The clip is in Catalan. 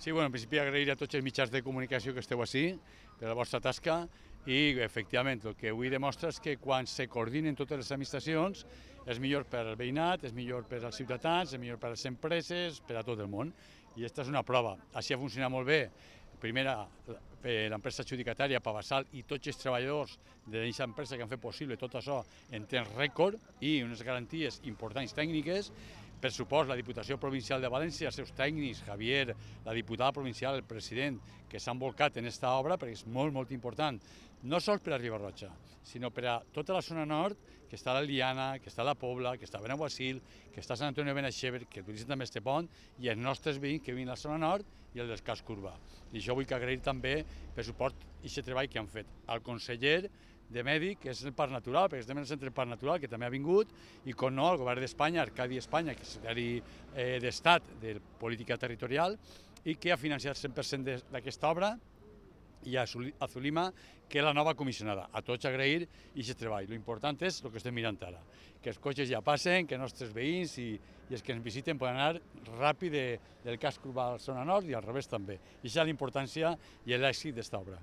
Sí, bueno, en principi agrair a tots els mitjans de comunicació que esteu així per la vostra tasca i, efectivament, el que avui demostra és que quan se coordinen totes les administracions és millor per al veïnat, és millor per als ciutadans, és millor per a les empreses, per a tot el món. I aquesta és una prova. Així ha funcionat molt bé. Primera, l'empresa adjudicatària, Pavasal, i tots els treballadors d'aquesta empresa que han fet possible tot això en temps rècord i unes garanties importants tècniques. Per supost, la Diputació Provincial de València, els seus tècnics, Javier, la diputada provincial, el president, que s'han volcat en aquesta obra, perquè és molt, molt important, no sols per a Riba-roja, sinó per a tota la zona nord, que està a la Liana, que està a la Pobla, que està a Benaguasil, que està a Sant Antoni de Benaixeve, que utilitzen també este pont, i els nostres veïns que viuen a la zona nord i el del casc urbà. I això vull que agrair també per suport i aquest treball que han fet al conseller de Medi, que és el Parc Natural, perquè estem en el centre del Parc Natural, que també ha vingut, i com no, el govern d'Espanya, Arcadi Espanya, que és secretari d'Estat de Política Territorial, i que ha financiat el 100% d'aquesta obra, i a Zulima, que és la nova comissionada. A tots agrair aquest treball. L'important és el que estem mirant ara, que els cotxes ja passen, que els nostres veïns i els que ens visiten poden anar ràpid del casc urbà a la zona nord i al revés també. I això és la importància i l'èxit d'esta obra.